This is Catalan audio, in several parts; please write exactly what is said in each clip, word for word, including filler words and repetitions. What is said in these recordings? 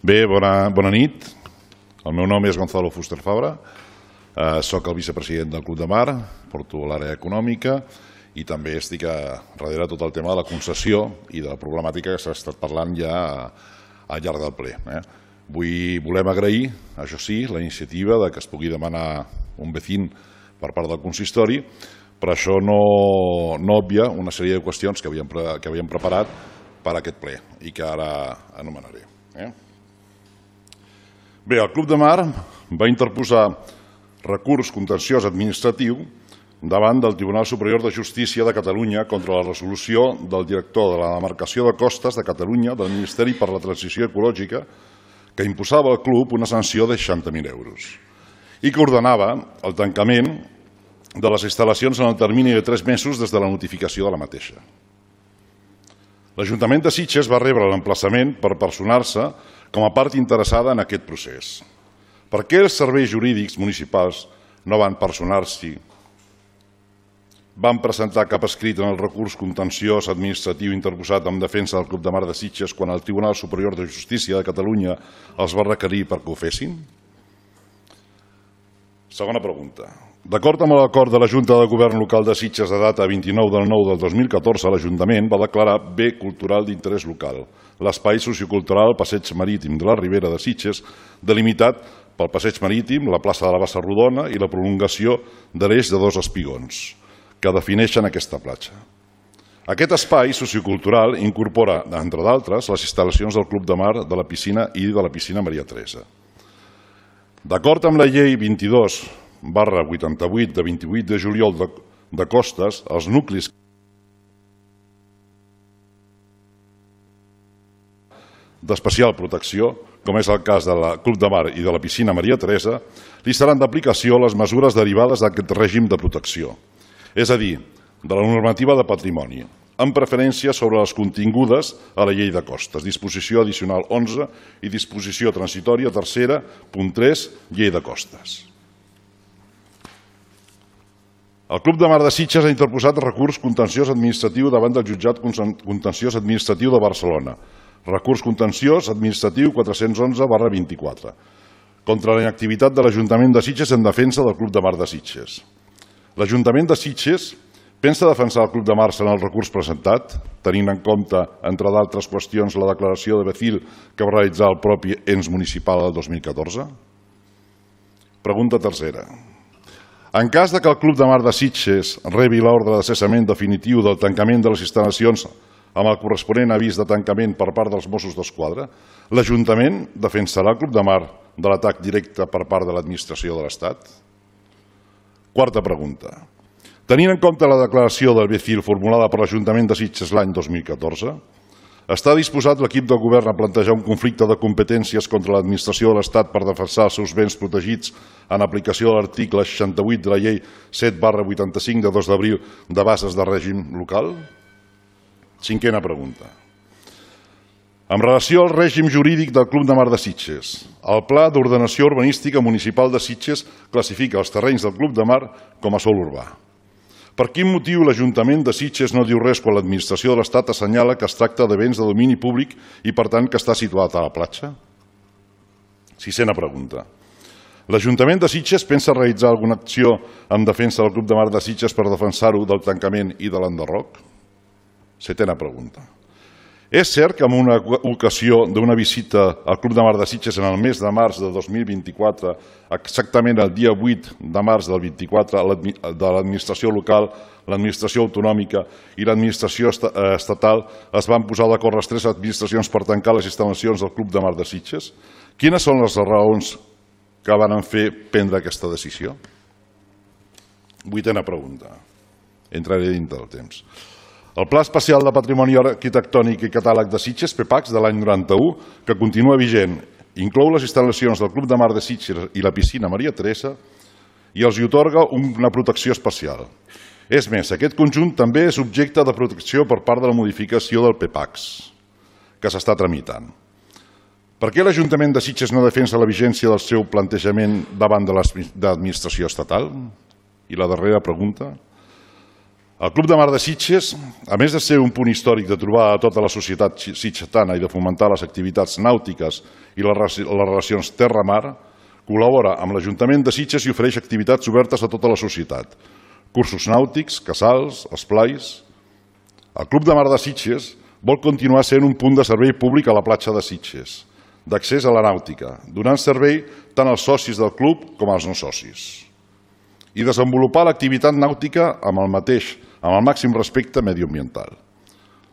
Bé, bona, bona nit. El meu nom és Gonzalo Fuster Fabra. Eh, soc el vicepresident del Club de Mar, porto l'àrea econòmica i també estic a, darrere tot el tema de la concessió i de la problemàtica que s'ha estat parlant ja al llarg del ple. Eh? Vull, volem agrair, això sí, la iniciativa de que es pugui demanar un vecín per part del consistori, però això no, no obvia una sèrie de qüestions que havíem, que havíem preparat per a aquest ple i que ara anomenaré. Eh? Bé, el Club de Mar va interposar recurs contenciós administratiu davant del Tribunal Superior de Justícia de Catalunya contra la resolució del director de la demarcació de costes de Catalunya del Ministeri per la Transició Ecològica que imposava al club una sanció de seixanta mil euros i que ordenava el tancament de les instal·lacions en el termini de tres mesos des de la notificació de la mateixa. L'Ajuntament de Sitges va rebre l'emplaçament per personar-se com a part interessada en aquest procés. Per què els serveis jurídics municipals no van personar-s'hi? Van presentar cap escrit en el recurs contenciós administratiu interposat en defensa del Club de Mar de Sitges quan el Tribunal Superior de Justícia de Catalunya els va requerir perquè ho fessin? Segona pregunta. D'acord amb l'acord de la Junta de Govern Local de Sitges de data vint-i-nou del nou del dos mil catorze, l'Ajuntament va declarar bé cultural d'interès local l'espai sociocultural Passeig Marítim de la Ribera de Sitges, delimitat pel Passeig Marítim, la plaça de la Bassa Rodona i la prolongació de l'eix de dos espigons que defineixen aquesta platja. Aquest espai sociocultural incorpora, entre d'altres, les instal·lacions del Club de Mar, de la piscina i de la piscina Maria Teresa. D'acord amb la llei vint-i-dos barra vuitanta-vuit de vint-i-vuit de juliol de, de costes, els nuclis d'especial protecció, com és el cas del Club de Mar i de la piscina Maria Teresa, li seran d'aplicació les mesures derivades d'aquest règim de protecció, és a dir, de la normativa de patrimoni, amb preferència sobre les contingudes a la llei de costes, disposició addicional onze i disposició transitòria tercera, punt tres, llei de costes. El Club de Mar de Sitges ha interposat recurs contenciós administratiu davant del Jutjat Contenciós Administratiu de Barcelona, recurs contenciós administratiu quatre-cents onze barra vint-i-quatre, contra la inactivitat de l'Ajuntament de Sitges en defensa del Club de Mar de Sitges. L'Ajuntament de Sitges pensa defensar el Club de Mar en el recurs presentat, tenint en compte, entre d'altres qüestions, la declaració de Becil que va realitzar el propi ens municipal el dos mil catorze? Pregunta tercera. En cas que el Club de Mar de Sitges rebi l'ordre de cessament definitiu del tancament de les instal·lacions amb el corresponent avís de tancament per part dels Mossos d'Esquadra, l'Ajuntament defensarà el Club de Mar de l'atac directe per part de l'administració de l'Estat? Quarta pregunta. Tenint en compte la declaració del Becil formulada per l'Ajuntament de Sitges l'any dos mil catorze, està disposat l'equip del govern a plantejar un conflicte de competències contra l'administració de l'Estat per defensar els seus béns protegits en aplicació de l'article seixanta-vuit de la llei set barra vuitanta-cinc de dos d'abril de bases de règim local? Cinquena pregunta. En relació al règim jurídic del Club de Mar de Sitges, el Pla d'Ordenació Urbanística Municipal de Sitges classifica els terrenys del Club de Mar com a sòl urbà. Per quin motiu l'Ajuntament de Sitges no diu res quan l'administració de l'Estat assenyala que es tracta de béns de domini públic i, per tant, que està situat a la platja? Sisena pregunta. L'Ajuntament de Sitges pensa realitzar alguna acció en defensa del Club de Mar de Sitges per defensar-ho del tancament i de l'enderroc? Setena pregunta. És cert que en una ocasió d'una visita al Club de Mar de Sitges en el mes de març de dos mil vint-i-quatre, exactament el dia vuit de març del vint-i-quatre, de l'administració local, l'administració autonòmica i l'administració estatal es van posar d'acord les tres administracions per tancar les instal·lacions del Club de Mar de Sitges? Quines són les raons que van fer prendre aquesta decisió? Vuitena pregunta. Entraré dintre del temps. El Pla Especial de Patrimoni Arquitectònic i Catàleg de Sitges, PEPACS, de l'any noranta-u, que continua vigent, inclou les instal·lacions del Club de Mar de Sitges i la piscina Maria Teresa i els hi atorga una protecció especial. És més, aquest conjunt també és objecte de protecció per part de la modificació del PEPACS, que s'està tramitant. Per què l'Ajuntament de Sitges no defensa la vigència del seu plantejament davant de l'administració estatal? I la darrera pregunta. El Club de Mar de Sitges, a més de ser un punt històric de trobar a tota la societat sitgetana i de fomentar les activitats nàutiques i les relacions terra-mar, col·labora amb l'Ajuntament de Sitges i ofereix activitats obertes a tota la societat. Cursos nàutics, casals, esplais. El Club de Mar de Sitges vol continuar sent un punt de servei públic a la platja de Sitges, d'accés a la nàutica, donant servei tant als socis del club com als no socis. I desenvolupar l'activitat nàutica amb el mateix, amb el màxim respecte mediambiental.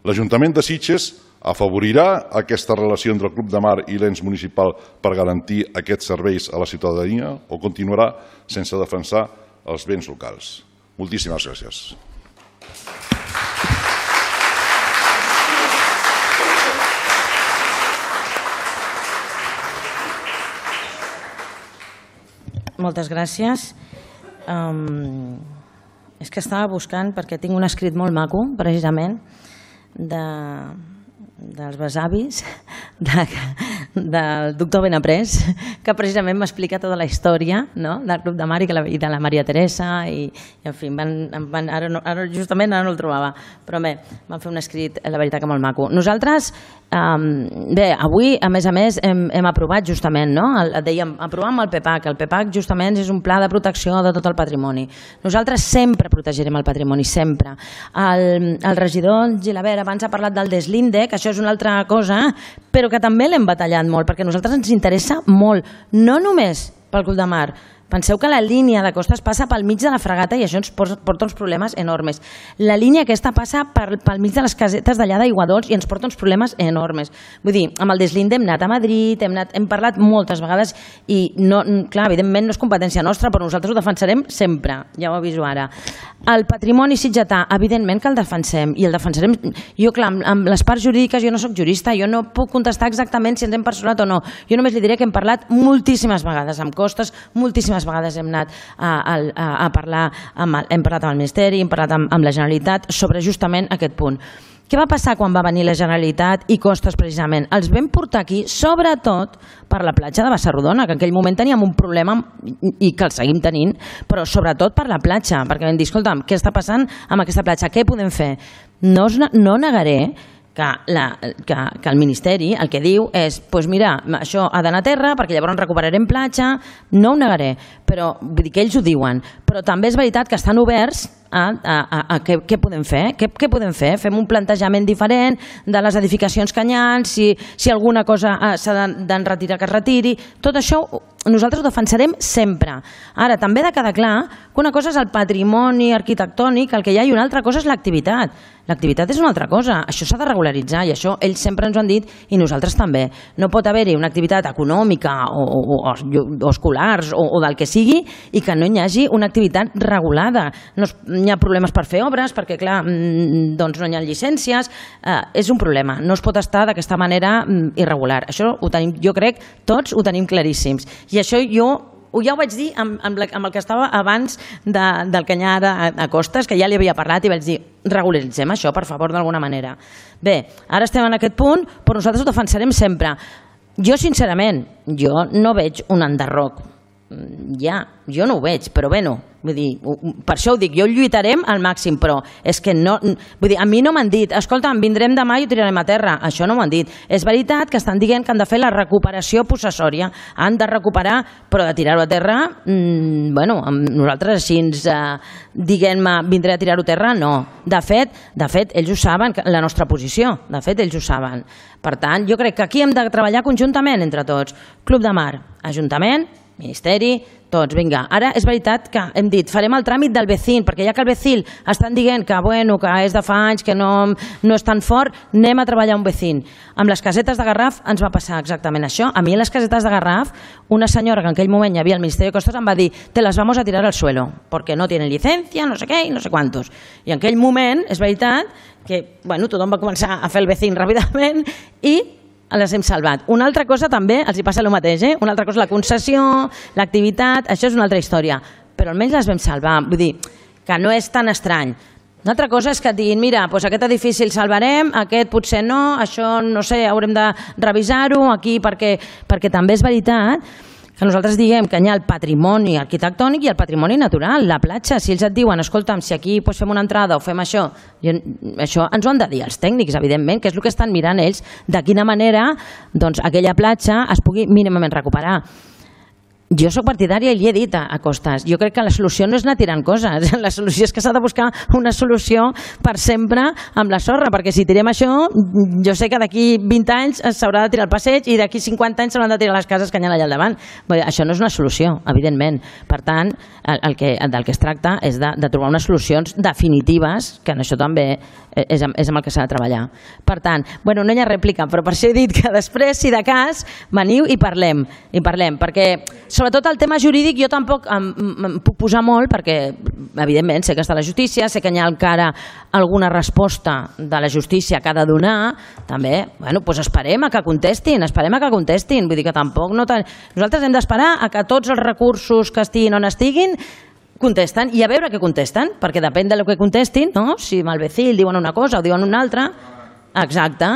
L'Ajuntament de Sitges afavorirà aquesta relació entre el Club de Mar i l'ens municipal per garantir aquests serveis a la ciutadania o continuarà sense defensar els béns locals. Moltíssimes gràcies. Moltes gràcies. Um, és que estava buscant, perquè tinc un escrit molt maco, precisament, de, dels besavis de, del doctor Benaprés, que precisament m'explica tota la història, no?, del Club de Mar i, la, i de la Maria Teresa, i, i en fi, van, van, ara, no, ara justament ara no el trobava, però bé, van fer un escrit, la veritat que molt maco. Nosaltres, um, bé, avui, a més a més, hem, hem aprovat justament, no?, el, dèiem, aprovàvem el PEPAC. El PEPAC justament és un pla de protecció de tot el patrimoni. Nosaltres sempre protegirem el patrimoni, sempre. El, el regidor Gilabert abans ha parlat del deslinde, que això és una altra cosa, però que també l'hem batallat molt, perquè a nosaltres ens interessa molt, no només pel Club de Mar. Penseu que la línia de costes passa pel mig de la fregata i això ens porta uns problemes enormes. La línia aquesta passa per, pel mig de les casetes d'allà d'Aiguadols i ens porta uns problemes enormes. Vull dir, amb el deslinde hem anat a Madrid, hem, anat, hem parlat moltes vegades i, no, clar, evidentment no és competència nostra, però nosaltres ho defensarem sempre, ja ho aviso ara. El patrimoni sitgetà, evidentment que el defensem i el defensarem. Jo, clar, amb, amb les parts jurídiques jo no soc jurista, jo no puc contestar exactament si ens hem personat o no. Jo només li diré que hem parlat moltíssimes vegades amb costes, moltíssimes vegades hem anat a, a, a parlar, amb, hem parlat amb el Ministeri, hem parlat amb, amb la Generalitat sobre justament aquest punt. Què va passar quan va venir la Generalitat i costes precisament? Els vam portar aquí, sobretot per la platja de Bassarrodona, que en aquell moment teníem un problema i que el seguim tenint, però sobretot per la platja, perquè vam dir, escolta'm, què està passant amb aquesta platja? Què podem fer? No, no negaré que, la, que, que el Ministeri el que diu és, doncs mira, això ha d'anar a terra perquè llavors recuperarem platja, no ho negaré, però vull dir que ells ho diuen, però també és veritat que estan oberts a, a, a, a què, què podem fer, què, què podem fer? Fem un plantejament diferent de les edificacions que hi ha, si, si alguna cosa s'ha d'enretirar que es retiri, tot això nosaltres ho defensarem sempre. Ara, també ha de quedar clar que una cosa és el patrimoni arquitectònic, el que hi ha, i una altra cosa és l'activitat. L'activitat és una altra cosa, això s'ha de regularitzar i això ells sempre ens ho han dit i nosaltres també. No pot haver-hi una activitat econòmica o, o, o, o escolars o, o del que sigui i que no hi hagi una activitat regulada. No es, hi ha problemes per fer obres perquè, clar, doncs no hi ha llicències. Eh, és un problema, no es pot estar d'aquesta manera irregular. Això ho tenim, jo crec, tots ho tenim claríssims. I això jo ja ho vaig dir amb, amb, la, amb el que estava abans de, del Canyar a, a Costes, que ja li havia parlat i vaig dir, regularitzem això, per favor, d'alguna manera. Bé, ara estem en aquest punt, però nosaltres ho defensarem sempre. Jo, sincerament, jo no veig un enderroc. Ja, jo no ho veig, però bé, no. Vull dir, per això ho dic, jo lluitarem al màxim, però és que no... Vull dir, a mi no m'han dit, escolta, vindrem demà i ho tirarem a terra. Això no m'ho han dit. És veritat que estan dient que han de fer la recuperació possessòria. Han de recuperar, però de tirar-ho a terra, mmm, bueno, nosaltres així ens, eh, diguem-me, vindré a tirar-ho a terra, no. De fet, de fet, ells ho saben, la nostra posició. De fet, ells ho saben. Per tant, jo crec que aquí hem de treballar conjuntament entre tots. Club de Mar, Ajuntament, Ministeri, tots, vinga. Ara és veritat que hem dit, farem el tràmit del vecín, perquè ja que el vecín estan dient que, bueno, que és de fa anys, que no, no és tan fort, anem a treballar un vecín. Amb les casetes de Garraf ens va passar exactament això. A mi, a les casetes de Garraf, una senyora que en aquell moment hi havia al Ministeri de Costes em va dir, te las vamos a tirar al suelo, porque no tienen licencia, no sé què i no sé quantos. I en aquell moment, és veritat, que, bueno, tothom va començar a fer el vecín ràpidament i les hem salvat. Una altra cosa també, els hi passa el mateix, eh? Una altra cosa, la concessió, l'activitat, això és una altra història, però almenys les vam salvar, vull dir, que no és tan estrany. Una altra cosa és que et diguin, mira, doncs aquest edifici el salvarem, aquest potser no, això no sé, haurem de revisar-ho aquí perquè, perquè també és veritat que que nosaltres diguem que hi ha el patrimoni arquitectònic i el patrimoni natural, la platja. Si ells et diuen, escolta'm, si aquí doncs, fem una entrada o fem això, i això ens ho han de dir els tècnics, evidentment, que és el que estan mirant ells, de quina manera doncs, aquella platja es pugui mínimament recuperar. Jo soc partidària i li he dit a Costas, jo crec que la solució no és anar tirant coses, la solució és que s'ha de buscar una solució per sempre amb la sorra, perquè si tirem això, jo sé que d'aquí vint anys s'haurà de tirar el passeig i d'aquí cinquanta anys s'hauran de tirar les cases que hi ha allà al davant. Això no és una solució, evidentment. Per tant, el que, del que es tracta és de, de trobar unes solucions definitives, que en això també és amb, és amb el que s'ha de treballar. Per tant, bueno, no hi ha rèplica, però per això he dit que després, si de cas, veniu i parlem, i parlem, perquè sobretot el tema jurídic jo tampoc em, em puc posar molt perquè, evidentment, sé que està la justícia, sé que hi ha encara alguna resposta de la justícia que ha de donar, també, bueno, doncs esperem a que contestin, esperem a que contestin, vull dir que tampoc no... Ten... Nosaltres hem d'esperar a que tots els recursos que estiguin on estiguin contesten i a veure què contesten, perquè depèn del que contestin, no? Si amb el Becil diuen una cosa o diuen una altra, exacte.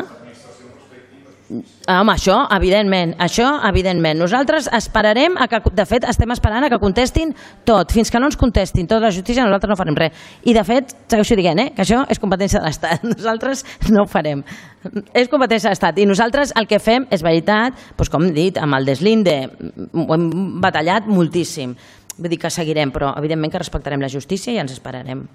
Home, això, evidentment, això, evidentment. Nosaltres esperarem, a que, de fet, estem esperant a que contestin tot. Fins que no ens contestin tota la justícia, nosaltres no farem res. I, de fet, segueixo dient, eh, que això és competència de l'Estat. Nosaltres no ho farem. És competència de l'Estat. I nosaltres el que fem, és veritat, doncs, com hem dit, amb el deslinde, ho hem batallat moltíssim. Vull dir que seguirem, però, evidentment, que respectarem la justícia i ens esperarem.